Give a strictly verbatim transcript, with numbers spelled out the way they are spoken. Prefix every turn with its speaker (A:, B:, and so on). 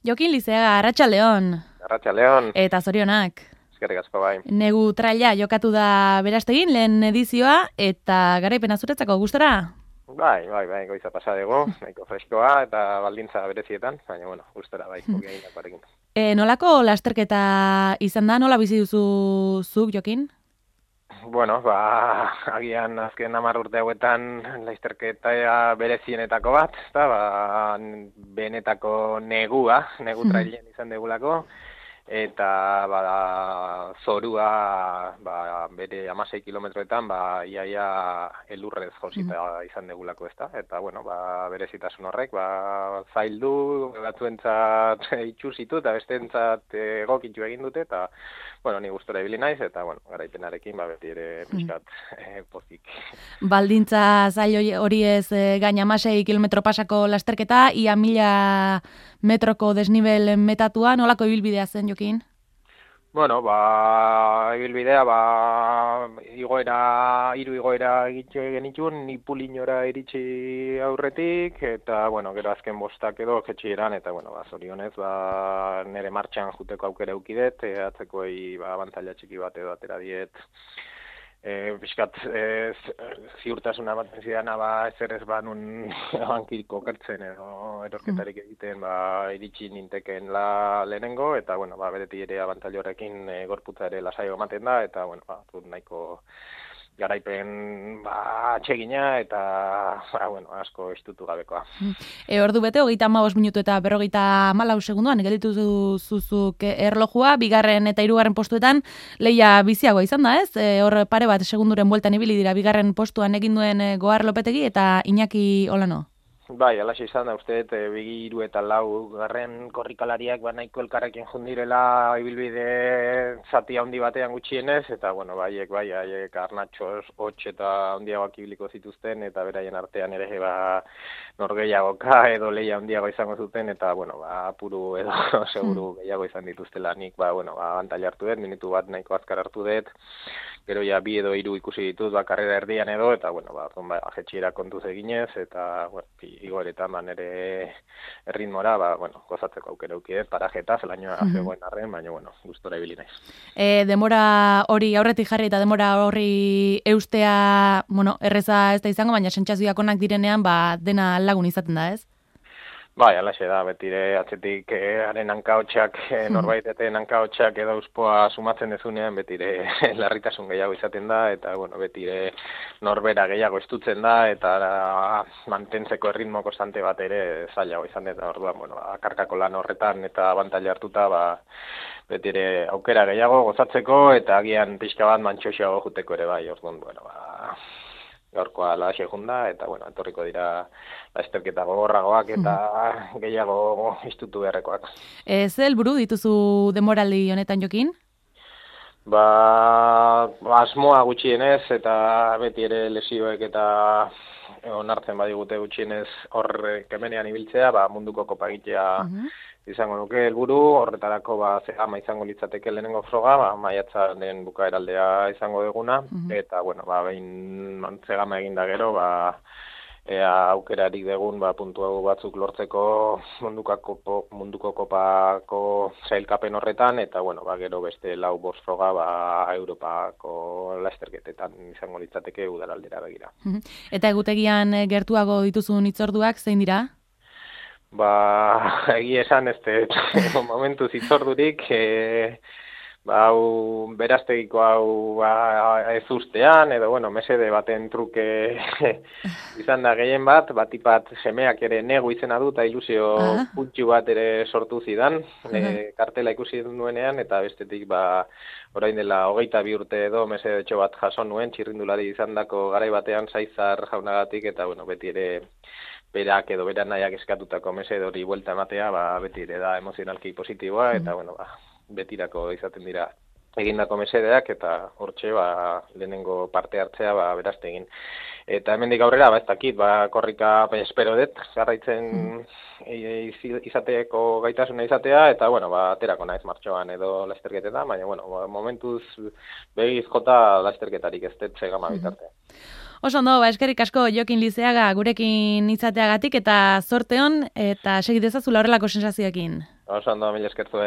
A: Jokin Lizeaga, Arratsaldeon.
B: Arratsaldeon.
A: Eta zorionak.
B: Eskerrik asko bai.
A: Negu traila jokatu da Berastegin lehen edizioa eta garaipena zuretzako gustora?
B: Bai, bai, bai, goiza pasa dugu, nahiko freskoa eta baldintza berezietan, baina bueno, gustora bai, ogi egindakoarekin.
A: E, nolako lasterketa izan da, nola bizi duzu zuk, Jokin?
B: Bueno, ba, agian azken hamar urte hauetan lasterketa berezienetako bat, eta ba, benetako negua, negu trailen izan degulako, eta ba, zorua ba, bere hamasei kilometroetan ba, iaia elurrez josita izan degulako ezta, eta bueno, ba, berezitasun horrek, ba, zaildu, batzuentzat itxusitu eta besteentzat egokitu egin dute, eta bueno, ni gustora ibili naiz, eta bueno, garaipenarekin ba, beti ere pixkat eh, pozik.
A: Baldintza zail hori ez eh, gain hamasei kilometro pasako lasterketa, ia mila metroko desnibel metatua, nolako ibilbidea zen, Jokin?
B: Bueno, ba, ibilbidea, ba, igoera, hiru igoera egitxe genitun, Ipulinora iritsi aurretik, eta, bueno, gero azken bostak edo jetxieran, eta, bueno, ba, zorionez, ba, nire martxan juteko aukera eukidet, e, atzekoei, ba, abantaila txiki bat edo atera diet, E, Piskat e, ziurtasuna bat zidana ba, ezer ez ba nun hankiko kertzen edo erorketarik egiten ba, iritsi ninteken la lehenengo, eta bueno, ba, bereti ere abantail horrekin e, gorputza ere lasaio ematen da, eta bueno, ba, nahiko garaipen ba, atxegina eta ba, bueno, asko estutu gabekoa.
A: E, ordu bete, hogeita hamabost minutu eta berrogeita hamalau segunduan, gelditu zuzuk erlojua, bigarren eta hirugarren postuetan leia biziagoa izan da, ez? E, hor pare bat segunduren bueltan ibili dira bigarren postuan egin duen Goar Lopetegi eta Iñaki Olano.
B: Bai, alaxe izan da, uste, e, bigi hiru eta lau garren korrikalariak ba, nahiko elkarrekin jundirela ibilbide zati handi batean gutxienez, eta, bueno, baiek, bai, haiek arnatxos, hotx eta handiagoak ibiliko zituzten, eta beraien artean ere, ba, norgeiagoka edo leia handiago izango zuten, eta, bueno, ba, apuru edo seguru gehiago izan dituztela nik, ba, bueno, ba, abantaila hartu dut, minutu bat nahiko azkar hartu dut, gero ja bi edo hiru ikusi ditut, ba, karrera erdian edo, eta, bueno, ba, ba jetxiera kontuz eginez, eta, bueno, igoeretan ba, nire erritmora, ba, bueno, gozatzeko aukera ukidet, parajeta, zelainoa mm -hmm. zegoen arren, baina, bueno, gustora ibili naiz.
A: E, demora hori aurretik jarri eta demora hori eustea, bueno, erreza ez da izango, baina sentsazioak onak direnean, ba, dena lagun izaten da, ez?
B: Bai, alaxe da, betire atzetik eh, haren hankaotxak, eh, norbaiteten hankaotxak edo uspoa sumatzen dezunean, betire larritasun gehiago izaten da, eta, bueno, betire norbera gehiago estutzen da, eta a, mantentzeko erritmo konstante bat ere zailago izan da, orduan, bueno, akarkako lan horretan eta abantaila hartuta, ba, betire aukera gehiago gozatzeko, eta agian pixka bat mantxoxeago juteko ere bai, orduan, bueno, ba, gaurkoa laxe junda, eta, bueno, etorriko dira lasterketa gogorragoak eta mm. gehiago istutu beharrekoak.
A: E, ze helburu dituzu denboraldi honetan, Jokin?
B: Ba, asmoa gutxienez, eta beti ere lesioek eta onartzen badigute gutxienez hor kemenean ibiltzea, ba, munduko kopagitea mm-hmm. izango nuke helburu, horretarako ba, zegama izango litzateke lehenengo froga, ba, maiatzaren bukaeraldea izango duguna, mm-hmm. eta, bueno, ba, behin zegama eginda gero, ba, ea aukerarik degun ba, puntu batzuk lortzeko munduko, munduko kopako sailkapen horretan, eta, bueno, ba, gero beste lau bost froga ba, Europako lasterketetan izango litzateke udalaldera begira.
A: Mm-hmm. Eta egutegian gertuago dituzun hitzorduak zein dira?
B: Ba, egia esan, ez momentu zitzordurik, e, ba, hau, Berastegiko hau ba, ez ustean, edo, bueno, mesede baten truke izan da gehien bat, batipat semeak ere negu izena du, eta ilusio ah. puntxu bat ere sortu zidan, uh-huh. e, kartela ikusi nuenean, eta bestetik, ba, orain dela hogeita bi urte edo mesede etxo bat jaso nuen, txirrindulari izan dako garai batean Saizar jaunagatik, eta, bueno, beti ere berak edo beran nahiak eskatutako mesede hori buelta ematea, ba, beti ere da emozionalki positiboa, eta, mm. bueno, ba, betirako izaten dira egindako mesedeak, eta hortxe, ba, lehenengo parte hartzea, ba, Berastegin. Eta hemendik aurrera, ba, ez dakit, ba, korrika, ba, espero dut, jarraitzen mm. izateko gaitasuna izatea, eta, bueno, ba, aterako naiz martxoan edo lasterketetan, baina, bueno, ba, momentuz begiz jota lasterketarik ez dut zegama bitarte.
A: Oso ondo, ba, eskerrik asko Jokin Lizeaga gurekin izateagatik eta zorte on eta segi dezazula horrelako sensazioekin.
B: Oso ondo, mila eskertu